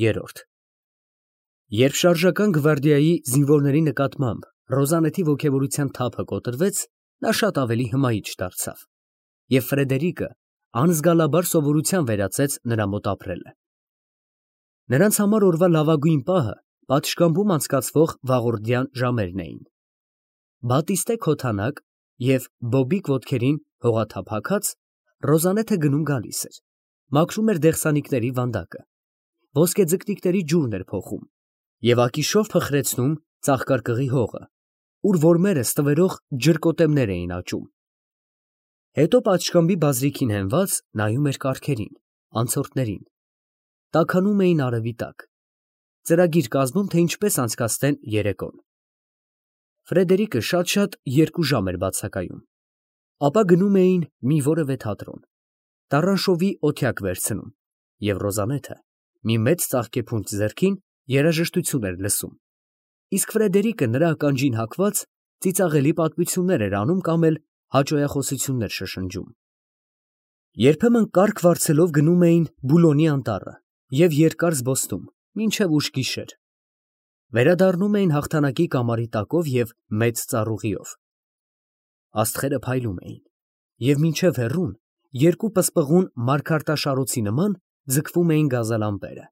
Երրորդ Երբ շարժական գվարդիայի զինվորների նկատմամբ Ռոզանետի ոգևորության թափը կոտրվեց, նա շատ ավելի հմայիչ դարձավ, և Ֆրեդերիկը անզգալաբար սովորության վերածեց նրա մոտ ապրելը։ Նրանց համար օրվա լավագույն պահը պատշգամբում անցկացվող վաղորդյան ժամերն էին։ Բատիստե քոթանակ և բոբիկ ոտքերին հողաթափ հագած, Ռոզանեթը գնում֊գալիս էր, մաքրում էր դեղսանիկների վանդակը, ոսկեձկնիկների ջուրն էր փոխում և ակիշով փխրեցնում ծաղկարկղի հողը, ուր որմերը ստվերող ջրկոտեմներ էին աճում։ Հետո պատշգամբի բազրիքին հենված նայում էր կառքերին, անցորդներին, տաքանում էին արևի տակ, ծրագիր կազմում, թե ինչպես անցկացնեն երեկոն։ Ֆրեդերիկը շատ-շատ 2 ժամ էր բացակայում, ապա գնում էին մի որևէ թատրոն, տառանշովի օթյակ վերցնում, և Ռոզանեթը մի մեծ ծաղկեփունջ ձեռքին երաժշտություն էր լսում, իսկ Ֆրեդերիկը նրա ականջին հագված ծիծաղելի պատմություններ էր անում կամ էլ հաճոյախոսություններ շշնջում։ Երբեմն կառք վարձելով գնում էին Բուլոնի անտառը և երկար զբոսնում, մինչև ուշ գիշեր, վերադառնում էին հաղթանակի կամարի տակով և մեծ ծառուղիով։ Աստղերը փայլում էին, և մինչև հեռուն, երկու պսպղուն մարգարտաշարոցի նման ձգվում էին գազալամպերը։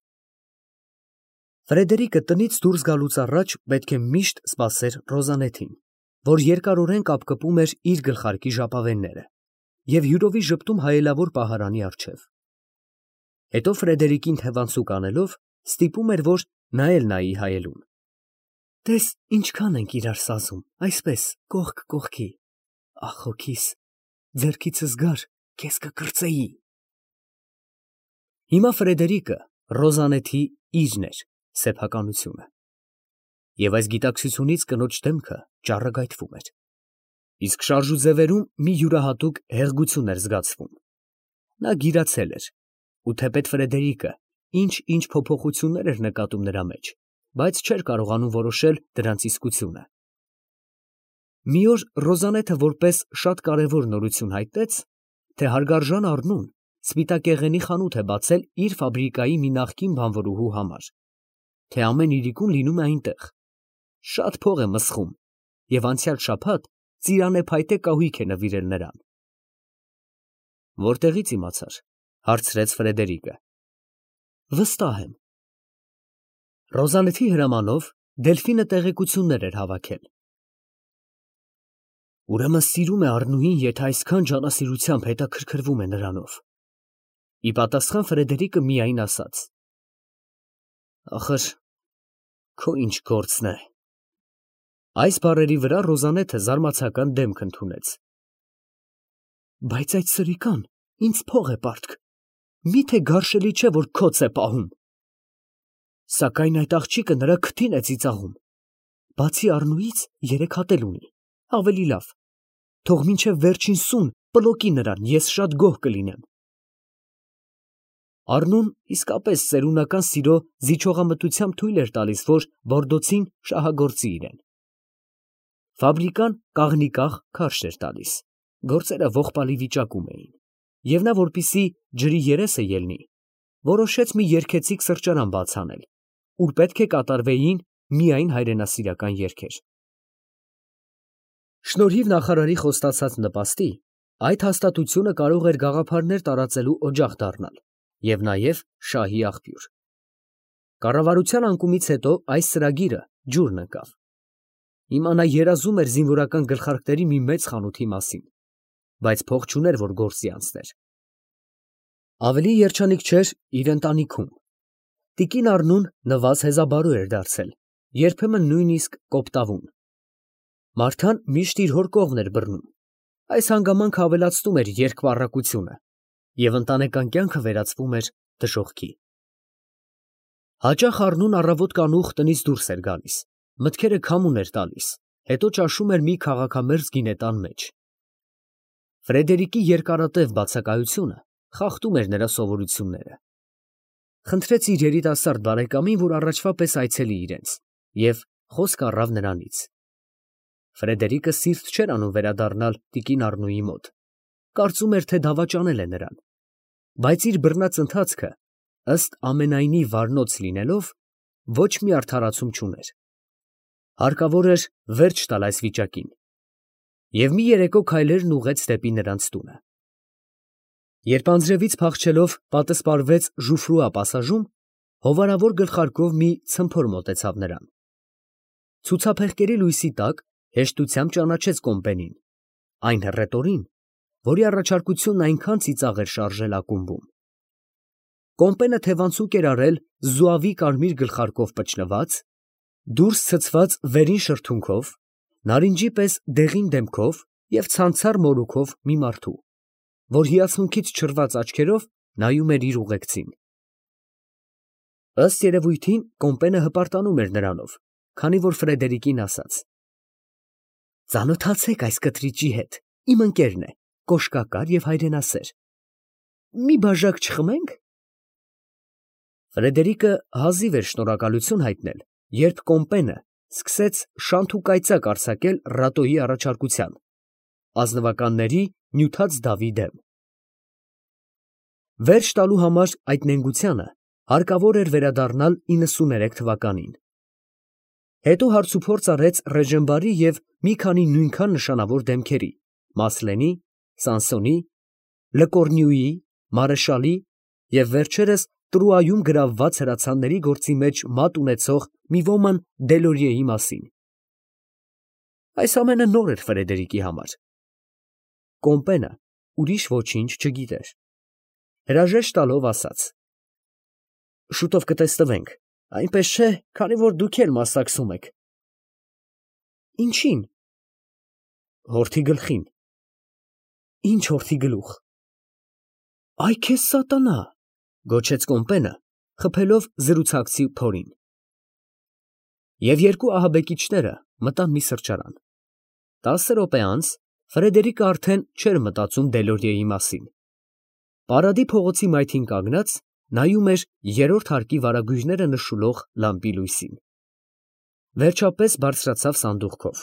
Ֆրեդերիկը տնից դուրս գալուց առաջ պետք է միշտ սպասեր Ռոզանեթին, որ երկարորեն կապկպում էր իր գլխարկի ժապավենները և հյուրովի ժպտում հայելավոր պահարանի առջև։ Հետո Ֆրեդերիկին թևանցուկ անելով, ստիպում էր, որ նա էլ նայի հայելուն։ Տես ինչքան ենք իրար սազում, այսպես, կողք կողքի, ախ հոգիս, ձեռքիցս գար, քեզ կկրծեի։ Հիմա Ֆրեդերիկը Ռոզանեթի իրն էր, սեփականությունը, և այս գիտակցությունից կնոջ դեմքը ճառագայթվում էր, իսկ շարժուձևերում մի յուրահատուկ հեղգություն էր զգացվում։ Նա գիրացել էր, ու թեպետ Ֆրեդերիկը ինչ֊ինչ փոփոխություններ էր նկատում նրա մեջ, բայց չէր կարողանում որոշել դրանց իսկությունը։ Մի օր Ռոզանեթը որպես շատ կարևոր նորություն հայտնեց, թե հարգարժան Առնուն սպիտակեղենի խանութ է բացել իր ֆաբրիկայի մի նախկին բանվորուհու համար, թե ամեն իրիկուն լինում է այնտեղ, շատ փող է մսխում և անցյալ շաբաթ ծիրանը փայտե կահույք է նվիրել նրան։ Որտեղի՞ց իմացար, հարցրեց Ֆրեդերիկը։ Վստահ եմ։ Ռոզանեթի հրամանով Դելֆինը տեղեկություններ էր հավաքել։ Ուրեմն սիրում է Առնուին, եթե այսքան ջանասիրությամբ հետաքրքրվում է նրանով։ Ի պատասխան Ֆրեդերիկը միայն ասաց. Ախր, քո ինչ գործն է։ Այս բառերի վրա Ռոզանեթը զարմացական դեմք ընդունեց։ Բայց այդ սրիկան ինձ փող է պարտք, միթե գարշելի չէ, որ քոց է պահում։ Սակայն այդ աղջիկը նրա քթին է ծիծաղում։ Բացի Առնուից 3 հատ էլ ունի, ավելի լավ, թող մինչև վերջին սուն պլոկի նրան, ես շատ գոհ կլինեմ։ Առնուն իսկապես ծերունական սիրո զիջողամտությամբ թույլ էր տալիս, որ Բորդոցին շահագործի իրեն։ Ֆաբրիկան կաղնիկաղ քարշ էր տալիս, գործերը ողբալի վիճակում էին, և նա, որպեսզի ջրի երեսը ելնի, որոշեց մի երգեցիկ սրճարան բաց անել, ուր պետք է կատարվեին միայն հայրենասիրական երգեր։ Շնորհիվ նախարարի խոստացած նպաստի, այդ հաստատությունը կարող էր գաղափարներ տարածելու օջախ դառնալ և նաև շահի աղբյուր։ Կառավարության անկումից հետո այս ծրագիրը ջուրն ընկավ։ Հիմա նա երազում էր զինվորական գլխարկների մի մեծ խանութի մասին, բայց փող չուներ, որ գործի անցներ։ Ավելի երջանիկ չէր իր ընտանիքում։ Տիկին Առնուն նվազ հեզաբարու էր դարձել, երբեմն նույնիսկ կոպտավուն։ Մարթան միշտ իր հոր կողմն էր բռնում։ Այս հանգամանքը ավելացնում էր երկպառակությունը, և ընտանեկան կյանքը վերածվում էր դժոխքի։ Հաճախ Առնուն առավոտ կանուխ տնից դուրս էր գալիս, մտքերը քամուն էր տալիս, հետո ճաշում էր մի քաղաքամերձ գինետան մեջ։ Ֆրեդերիկի երկարատև բացակայությունը խախտում էր նրա սովորությունները։ Խնդրեց իր երիտասարդ բարեկամին, որ առաջվա պես այցելի իրենց, և խոսք առավ նրանից։ Ֆրեդերիկը սիրտ չէր անում վերադառնալ տիկին Առնուի մոտ, կարծում էր, թե դավաճանել է նրան, բայց իր բռնած ընթացքը ըստ ամենայնի վառնոց լինելով, ոչ մի արդարացում չուներ. հարկավոր էր վերջ տալ այս վիճակին, և մի երեկո քայլերն ուղղեց դեպի նրանց տունը։ Երբ անձրևից փախչելով պատսպարվեց ժուֆրուա պասաժում, հովանավոր գլխարկով մի ցմփոր մոտեցավ նրան. ցուցափեղկերի լույսի տակ հեշտությամբ ճանաչեց Կոմպենին, այն հռետորին, որի առաջարկությունն այնքան ծիծաղ էր շարժել ակումբում։ Կոմպենը թևանցուկ էր արել զուավի կարմիր գլխարկով պճլված, դուրս ցցված վերին շրթունքով, նարինջի պես դեղին դեմքով և ցանցառ մորուքով մի մարդու, որ հիացմունքից չռված աչքերով նայում էր իր ուղեկցին։ Ըստ երևույթին Կոմպենը հպարտանում էր նրանով, քանի որ Ֆրեդերիկին ասաց. «Ծանոթացեք այս կտրիճի հետ, իմ ընկերն է, կոշկակար և հայրենասեր։ Մի բաժակ չխմե՞նք»։ Ֆրեդերիկը հազիվ էր շնորհակալություն հայտնել, երբ Կոմպենը սկսեց շանթ ու կայծակ արձակել Ռատոյի առաջարկության, ազնվականների նյութած դավի դեմ։ Վերջ տալու համար այդ նենգությանը հարկավոր էր վերադառնալ 93 թվականին։ Հետո հարցուփորձ արեց Ռեժենբարի և մի քանի նույնքան նշանավոր դեմքերի՝ Մասլենի, Սանսոնի, Լկոռնյուի, Մարեշալի և վերջերս Տրուայում գրավված հրացանների գործի մեջ մատ ունեցող մի ոման Դելորիեի մասին։ Այս ամենը նոր էր Ֆրեդերիկի համար։ Կոմպենը ուրիշ ոչինչ չգիտեր։ Հրաժեշտ տալով ասաց. «Շուտով կտեսնվենք, այնպես չէ, քանի որ դուք էլ մասնակցում եք»։ «Ինչի՞ն»։ «Հորթի գլխին»։ «Ի՞նչ հորթի գլուխ»։ «Այ քեզ սատանա», գոչեց Կոմպենը, խփելով զրուցակցի փորին։ Եվ երկու ահաբեկիչները մտան մի սրճարան։ 10 րոպե անց Ֆրեդերիկը արդեն չէր մտածում Դելորիեի մասին։ Պարադի փողոցի մայթին կանգնած, նայում էր երրորդ հարկի վարագույրները նշուլող լամպի լույսին։ Վերջապես բարձրացավ սանդուղքով։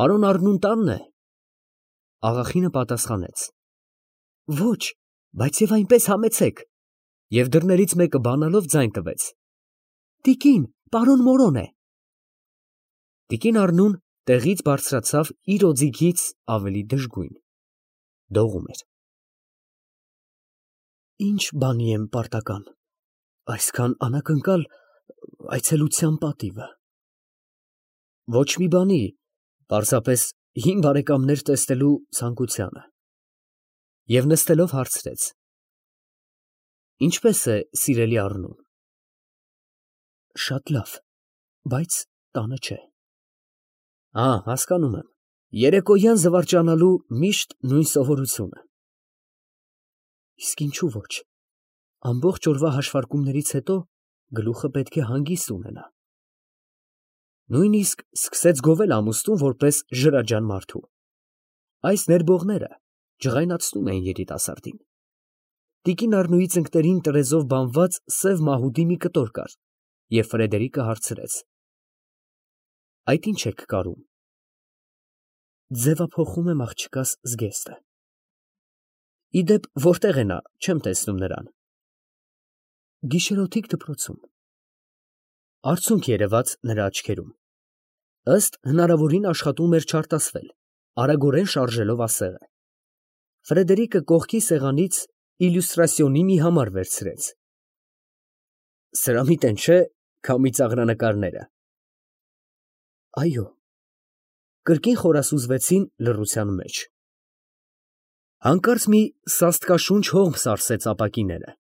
«Պարոն Առնուն տանն է»։ Աղախինը պատասխանեց. «Ոչ, բայց և այնպես համեցեք», և դռներից մեկը բանալով ձայն տվեց. «Տիկին, պարոն Մորոն է»։ Տիկին Առնուն տեղից բարձրացավ իր օձիքից ավելի դժգույն. դողում էր։ «Ի՞նչ բանի եմ պարտական, այսքան անակնկալ այցելության պատիվը»։ «Ոչ մի բանի, պարզապես հին բարեկամներ տեսնելու ցանկությանը»։ Եվ նստելով հարցրեց. «Ինչպե՞ս է, սիրելի Առնուն»։ «Շատ լավ, բայց տանը չէ»։ Հասկանում եմ, երեկոյան զվարճանալու միշտ նույն սովորությունը։ «Իսկ ինչու ոչ, ամբողջ օրվա հաշվարկումներից հետո գլուխը պետք է հանգիստ ունենա»։ Նույնիսկ սկսեց գովել ամուսնուն որպես ժրաջան մարդու։ Այս ներբողները ջղայնացնում էին երիտասարդին։ Տիկին Առնուի ծնկներին տրեզով բանված սև մահուդի մի կտոր կար, և Ֆրեդերիկը հարցրեց. «Այդ ի՞նչ եք կարում»։ «Ձևափոխում եմ աղջկաս զգեստը»։ «Ի դեպ, որտեղ է նա, չեմ տեսնում նրան»։ «Գիշերօթիկ դպրոցում»։ Արցունք երևաց նրա աչքերում։ Ըստ հնարավորին աշխատում էր չարտասվել, արագորեն շարժելով ասեղը։ Ֆրեդերիկը կողքի սեղանից իլյուստրասիոնի մի համար վերցրեց։ «Սրամիտ են, չէ՞, քամի ծաղրանկարները»։ «Այո»։ Կրկին խորասուզվեցին լռության մեջ։ Հանկարծ մի սաստկաշունչ հողմ սարսեց ապակիները։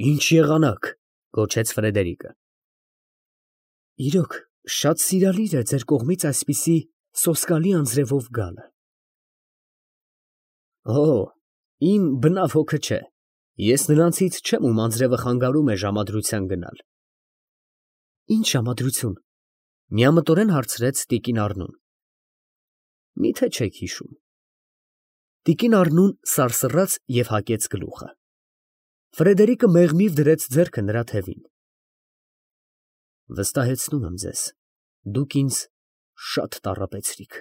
«Ի՞նչ եղանակ», գոչեց Ֆրեդերիկը։ «Իրոք, շատ սիրալիր է ձեր կողմից այսպիսի սոսկալի անձրևով գալը»։ Իմ բնավ հոգը չէ, ես նրանցից չեմ, ում անձրևը խանգարում է ժամադրության գնալ։ «Ի՞նչ ժամադրություն», միամտորեն հարցրեց տիկին Առնուն։ «Մի՞թե չեք հիշում»։ Տիկին Առնուն սարսռաց և հակեց գլուխը։ Ֆրեդերիկը մեղմիվ դրեց ձեռքը նրա թևին։ «Վստահեցնում եմ ձեզ, դուք ինձ շատ տառապեցրիք»։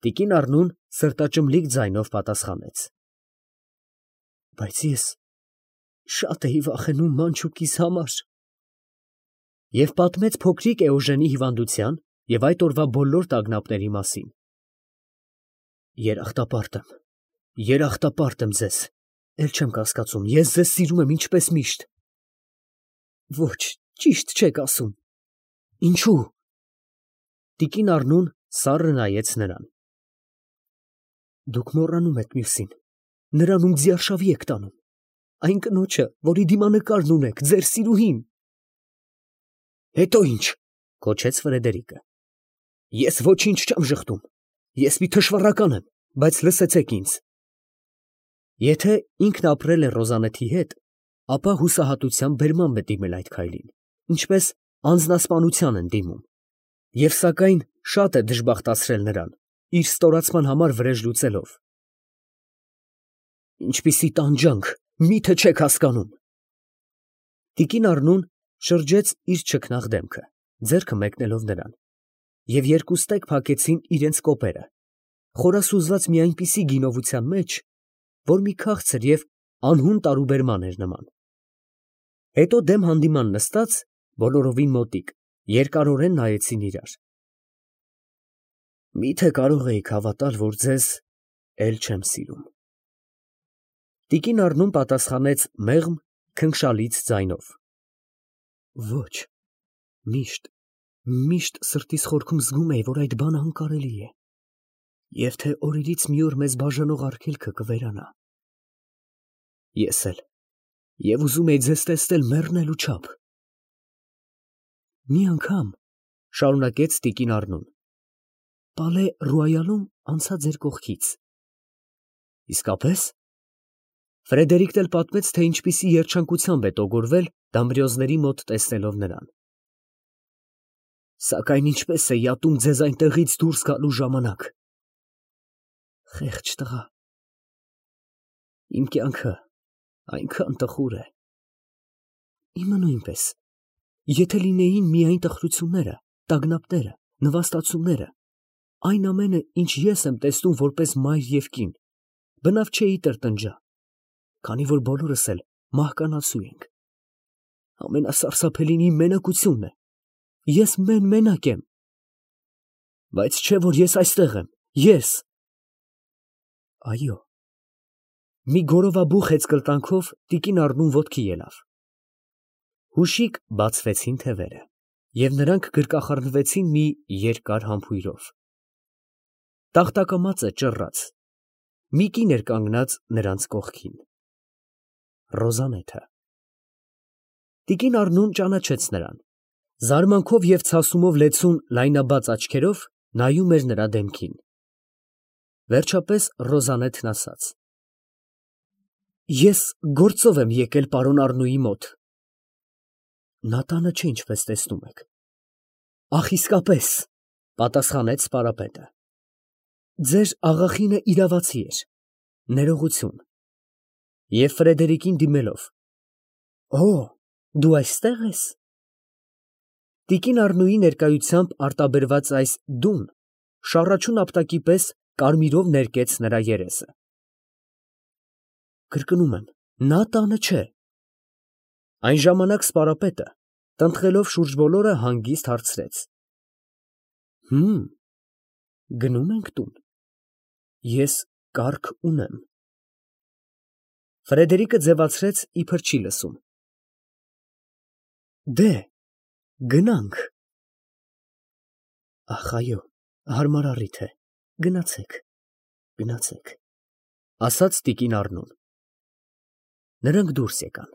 Տիկին Առնուն սրտաճմլիկ ձայնով պատասխանեց. Բայց ես շատ էի վախենում մանչուկիս համար։ Եվ պատմեց փոքրիկ Էոժենի հիվանդության և այդ օրվա բոլոր տագնապների մասին։ Երախտապարտ եմ ձեզ, էլ չեմ կասկածում, ես ձեզ սիրում եմ ինչպես միշտ։ Ոչ, ճիշտ չեք ասում։ Ինչու՞։ Տիկին Առնուն սառը նայեց նրան։ Դուք մոռանում եք մյուսին, նրան ում ձիարշավի եք տանում, այն կնոջը, որի դիմանկարն ունեք, ձեր սիրուհին։ Հետո ի՞նչ, գոչեց Ֆրեդերիկը։ Ես ոչինչ չեմ ժխտում, ես մի թշվառական եմ, բայց լսեցեք ինձ։ Եթե ինքն ապրել է Ռոզանեթի հետ, ապա հուսահատությամբ բերմամբ է դիմել այդ քայլին, ինչպես անձնասպանության են դիմում, և սակայն շատ է դժբախտացրել նրան, իր ստորացման համար վրեժ լուծելով։ Ինչպիսի տանջանք, մի՞թե չեք հասկանում։ Տիկին Առնուն շրջեց իր չքնաղ դեմքը, ձեռքը մեկնելով նրան, և երկուստեք փակեցին իրենց կոպերը, խորասուզված մի այնպիսի գինովության մեջ, որ մի քաղցր և անհուն տարուբերման էր նման։ Հետո դեմ հանդիման նստած, բոլորովին մոտիկ, երկարորեն նայեցին իրար։ Մի՞թե կարող էիք հավատալ, որ ձեզ էլ չեմ սիրում։ Տիկին Առնուն պատասխանեց մեղմ, քնքշալից ձայնով. Ոչ, միշտ սրտիս խորքում զգում էի, որ այդ բանը անկարելի է, և թե օրերից մի օր մեզ բաժանող արգելքը կվերանա։ Ես էլ, և ուզում էի ձեզ տեսնել մեռնելու չափ։ Մի անգամ, շարունակեց տիկին Առնուն, Պալե Ռոյալում անցա ձեր կողքից։ Իսկապես։ Ֆրեդերիկն էլ պատմեց, թե ինչպիսի երջանկությամբ է տոգորվել Դամբրիոզների մոտ տեսնելով նրան։ Սակայն ինչպես էի ատում ձեզ այնտեղից դուրս գալու ժամանակ։ Խեղճ տղա։ Իմ կյանքը այնքան տխուր է։ Իմը նույնպես, եթե լինեին միայն տխրությունները, տագնապները, նվաստացումները, այն ամենը, ինչ ես եմ տեսնում որպես մայր և կին, բնավ չէի տրտնջա, քանի որ բոլորս էլ մահկանացու ենք։ Ամենասարսափելին իմ մենակությունն է, ես մենակ եմ։ Բայց չէ, որ ես այստեղ եմ, ես։ Այո։ Մի գորովաբու խեցկրտանքով տիկին Առնուն ոտքի ելավ։ Հուշիկ բացվեցին թևերը, և նրանք գրկախառնվեցին մի երկար համբույրով։ Տախտակամածը ճռռաց, մի կին էր կանգնած նրանց կողքին։ Ռոզանեթը։ Տիկին Առնուն ճանաչեց նրան, զարմանքով և ցասումով լեցուն լայնաբաց աչքերով նայում էր նրա դեմքին։ Վերջապես Ռոզանեթն ասաց. Ես գործով եմ եկել պարոն Առնուի մոտ։ Նա տանը չէ, ինչպես տեսնում եք։ Ախ, իսկապես, պատասխանեց սպարապետը։ Ձեր աղախինը իրավացի էր, ներողություն։ Եվ Ֆրեդերիկին դիմելով. Օ, դու այստեղ ես։ Տիկին Առնուի ներկայությամբ արտաբերված այս դուն շառաչուն ապտակի պես կարմիրով ներկեց նրա երեսը։ Կրկնում եմ, նա տանը չէ։ Այն ժամանակ սպարապետը, տնտղելով շուրջ բոլորը, հանգիստ հարցրեց. Գնում ենք տուն։ Ես կառք ունեմ։ Ֆրեդերիկը ձևացրեց, իբր չի լսում։ Դե, գնանք։ Ախ, այո, հարմար առիթ է, գնացեք, ասաց տիկին Առնուն։ Նրանք դուրս եկան։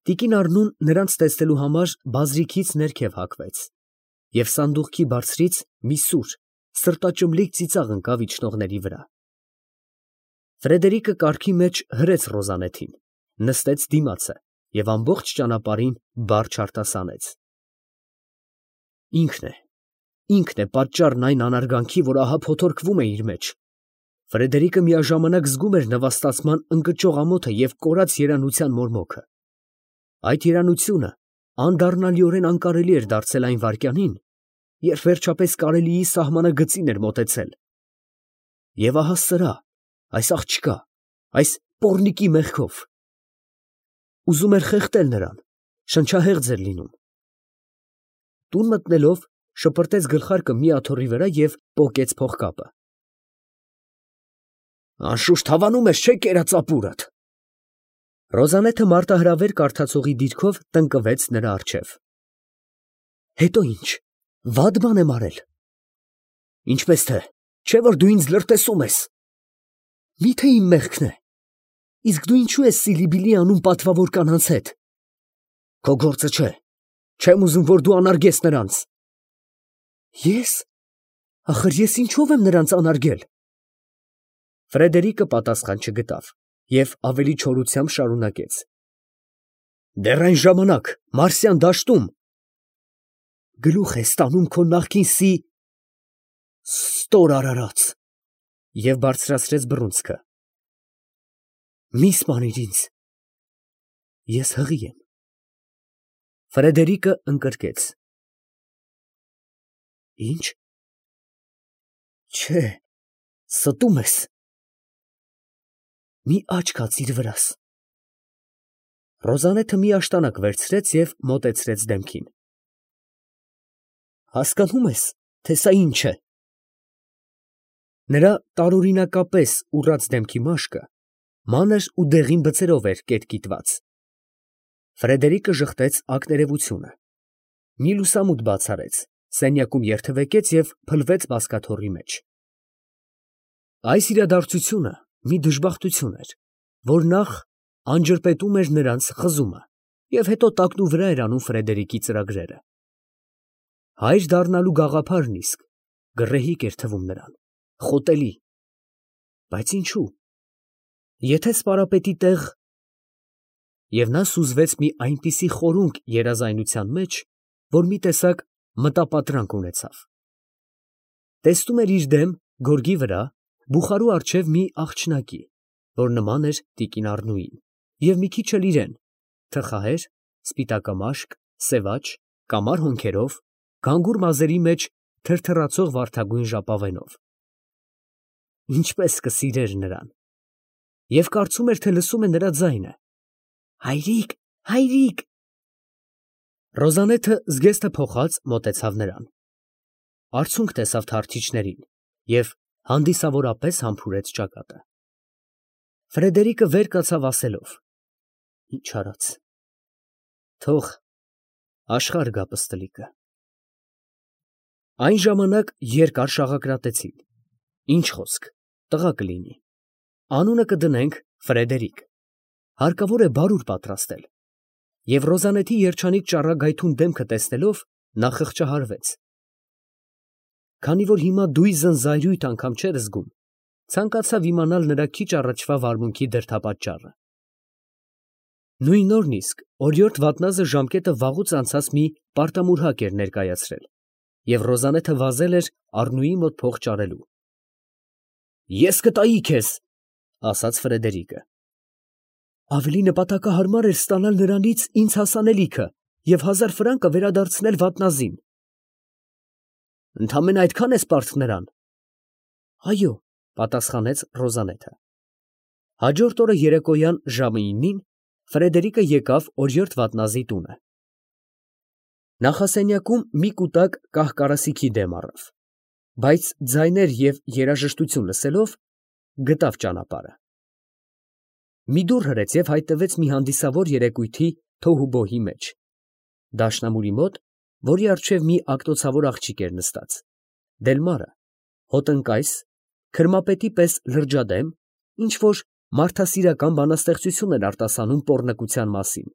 Տիկին Առնուն նրանց տեսնելու համար բազրիքից ներքև հագվեց, և սանդուղքի բարձրից մի սուր, սրտաճմլիկ ծիծաղ ընկավ իջնողների վրա։ Ֆրեդերիկը կառքի մեջ հրեց Ռոզանեթին, նստեց դիմացը և ամբողջ ճանապարհին բարդ արտասանեց։ Ինքն է պատճառն այն անարգանքի, որ ահա փոթորկվում է իր մեջ։ Ֆրեդերիկը միաժամանակ զգում էր նվաստացման ընկճող ամոթը և կորած երանության մորմոքը։ Այդ երանությունը անդառնալիորեն անկարելի էր դարձել այն վայրկյանին, երբ վերջապես կարելիի սահմանագծին էր մոտեցել։ Եվ ահա սրա, այս աղջկա, այս պոռնիկի մեղքով։ Ուզում էր խեղդել նրան, շնչահեղձ էր լինում։ Տուն մտնելով շպրտեց գլխարկը մի աթոռի վրա և պոկեց փողկապը։ Անշուշտ հավանում ես, չէ՞, կերած ապուրդ։ Ռոզանեթը մարտահրավեր կարդացողի դիրքով տնկվեց նրա առջև։ Հետո ինչ, վատ բան եմ արել։ Ինչպես թե, չէ՞ որ դու ինձ լրտեսում ես։ Միթե իմ մեղքն է։ Իսկ դու ինչու ես սիլիբիլի անում պատվավոր կանանց հետ։ Քո գործը չէ։ Չեմ ուզում, որ դու անարգես նրանց։ Ես։ Ախր ես ինչով եմ նրանց անարգել։ Ֆրեդերիկը պատասխան չգտավ և ավելի չորությամբ շարունակեց. Դեռ այն ժամանակ Մարսյան դաշտում գլուխ ես տանում քո նախկին ստոր արարած, և բարձրացրեց բռունցքը։ Մի սպանիր ինձ, ես հղի եմ։ Ֆրեդերիկը ընկրկեց։ Ինչ։ Չէ, ստում ես։ Մի աչք հացիր վրաս։ Ռոզանեթը մի աշտանակ վերցրեց և մոտեցրեց դեմքին։ Հասկանում ես, թե սա ինչ է։ Նրա տարօրինակապես ուռած դեմքի մաշկը մանր ու դեղին բծերով էր կետկիտված։ Ֆրեդերիկը ժխտեց ակներևությունը։ Մի լուսամուտ բաց արեց, սենյակում երթևեկեց և փլվեց բազկաթոռի մեջ։ Այս իրադարձությունը մի դժբախտություն էր, որ նախ անջրպետում էր նրանց խզումը և հետո տակնուվրա էր անում Ֆրեդերիկի ծրագրերը։ Հայր դառնալու գաղափարն իսկ գռեհիկ էր թվում նրան, խոտելի։ Բայց ինչու։ Եթե սպարապետի տեղ… Եվ նա սուզվեց մի այնպիսի խորունկ երազայնության մեջ, որ մի տեսակ մտապատրանք ունեցավ։ Տեսնում էր իր դեմ, գորգի վրա, բուխարու առջև մի աղջնակի, որ նման էր տիկին Առնուին, և մի քիչ էլ իրեն, թխահեր, սպիտակամաշկ, սևաջ, կամար հոնքերով, գանգուր մազերի մեջ թրթռացող վարդագույն ժապավենով։ Ինչպես կսիրեր նրան։ Եվ կարծում էր, թե լսում է նրա ձայնը. Հայրիկ, հայրիկ։ Ռոզանեթը զգեստը փոխած մոտեցավ նրան։ Արցունք տեսավ թարթիչներին և հանդիսավորապես համբուրեց ճակատը։ Ֆրեդերիկը վեր կացավ ասելով. Ինչ արած։ Թող աշխարհ գա պստլիկը։ Այն ժամանակ երկար շաղակրատեցին։ Ինչ խոսք, տղա կլինի։ Անունը կդնենք Ֆրեդերիկ։ Հարկավոր է բարուր պատրաստել։ Եվ Ռոզանեթի երջանիկ ճառագայթուն դեմքը տեսնելով նա խղճահարվեց։ Քանի որ հիմա դույզն զայրույթ անգամ չէր զգում, ցանկացավ իմանալ նրա քիչ առաջվա վարմունքի դրդապատճառը։ Նույն օրն իսկ օրիորդ Վատնազը ժամկետը վաղուց անցած մի պարտամուրհակ էր ներկայացրել, և Ռոզանեթը վազել էր Առնուի մոտ փող ճարելու։ Ես կտայի քեզ, ասաց Ֆրեդերիկը։ Ավելի նպատակահարմար էր ստանալ նրանից ինձ հասանելիքը և 1000 ֆրանկը վերադարձնել Վատնազին։ Ընդամենը այդքան ես պարտ նրան։ Այո, պատասխանեց Ռոզանեթը։ Հաջորդ օրը երեկոյան ժամը 9-ին Ֆրեդերիկը եկավ օրիորդ Վատնազի տունը։ Նախասենյակում մի կուտակ կահ֊կարասիքի դեմ առավ, բայց ձայներ և երաժշտություն լսելով գտավ ճանապարհը։ Մի դուռ հրեց և հայտնվեց մի հանդիսավոր երեկույթի թոհուբոհի մեջ, դաշնամուրի մոտ, որի առջև մի ակտոցավոր աղջիկ էր նստած, դելմարը, հոտնկայս, քրմապետի պես լրջադեմ, ինչ֊որ մարդասիրական բանաստեղծություն էր արտասանում պոռնկության մասին։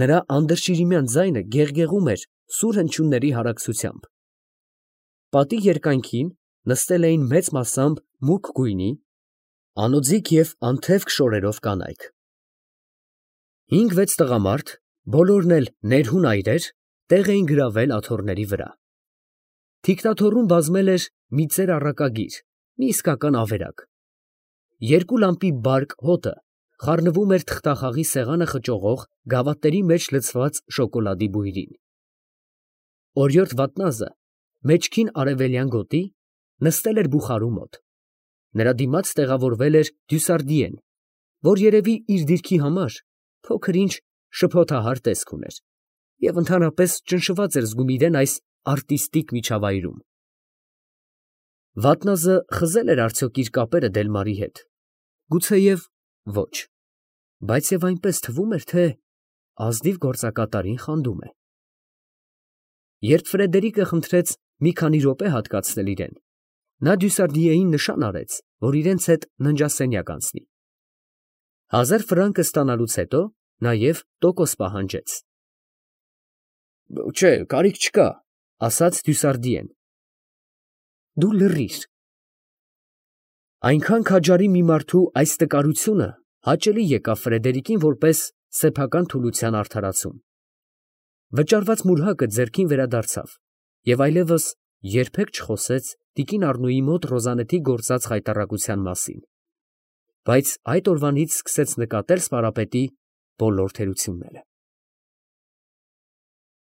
Նրա անդրշիրիմյան ձայնը գեղգեղում էր սուր հնչյունների հարակցությամբ։ Պատի երկայնքին նստել էին մեծ մասամբ մուգ գույնի, անոձիկ և անթևք շորերով կանայք։ 5-6 տղամարդ, բոլորն էլ ներհուն այրեր, տեղ էին գրավել աթոռների վրա։ Թիկնաթոռում բազմել էր մի ծեր առակագիր, մի իսկական ավերակ։ Երկու լամպի բարկ հոտը խառնվում էր թղթախաղի սեղանը խճողող գավաթների մեջ լցված շոկոլադի բույրին։ Օրիորդ Վատնազը մեջքին արևելյան գոտի նստել էր բուխարու մոտ։ Նրա դիմաց տեղավորվել էր Դյուսարդիեն, որ երևի իր դիրքի համար փոքր-ինչ շփոթահար տեսք ուներ և ընդհանրապես ճնշված էր զգում իրան այս արտիստիկ միջավայրում։ Վատնազը խզե՞լ էր արդյոք իր կապերը Դելմարի հետ, գուցեև ոչ, բայց և այնպես թվում էր, թե ազնիվ գործակատարին խանդում է։ Երբ Ֆրեդերիկը խնդրեց մի քանի րոպե հատկացնել իրան, նա Դյուսարդիեին նշան արեց, որ իրենց հետ ննջասենյակ անցնի։ 1000 ֆրանկը ստանալուց հետո նաև տոկոս պահանջեց։ Չէ, կարիք չկա, ասաց Դյուսարդիեն։ Դու լռիր։ Այնքան քաջարի մի մարդու այս տկարությունը հաճելի եկավ Ֆրեդերիկին որպես սեփական թուլության արդարացում։ Վճարված մուրհակը ձեռքին վերադարձավ և այլևս երբեք չխոսեց տիկին Առնոյի մոտ Ռոզանեթի գործած խայտառակության մասին, բայց այդ օրվանից սկսեց նկատել Սպարապետի բոլոր թերությունները։